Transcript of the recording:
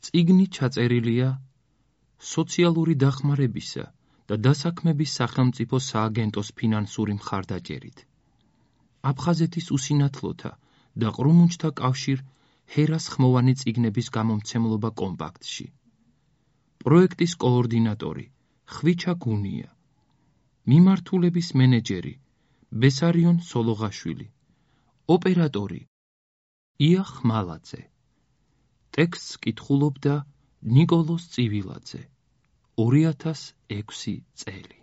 წიგნი ჩაწერილია სოციალური დახმარებისა და დასაქმების სახელმწიფო სააგენტოს ფინანსური მხარდაჭერით. აფხაზეთის უსინათლოთა და ყრუმუნჯთა კავშირ ჰერას ხმოვანი წიგნების გამომცემლობა კომპაქტში. პროექტის კოორდინატორი ხვიჩა გუნია. მიმართულების მენეჯერი ბესარიონ სოლოღაშვილი. ოპერატორი ია ხმალაძე. ტექსტს კითხულობდა ნიკოლოზ წივილაძე. 2006 წელი.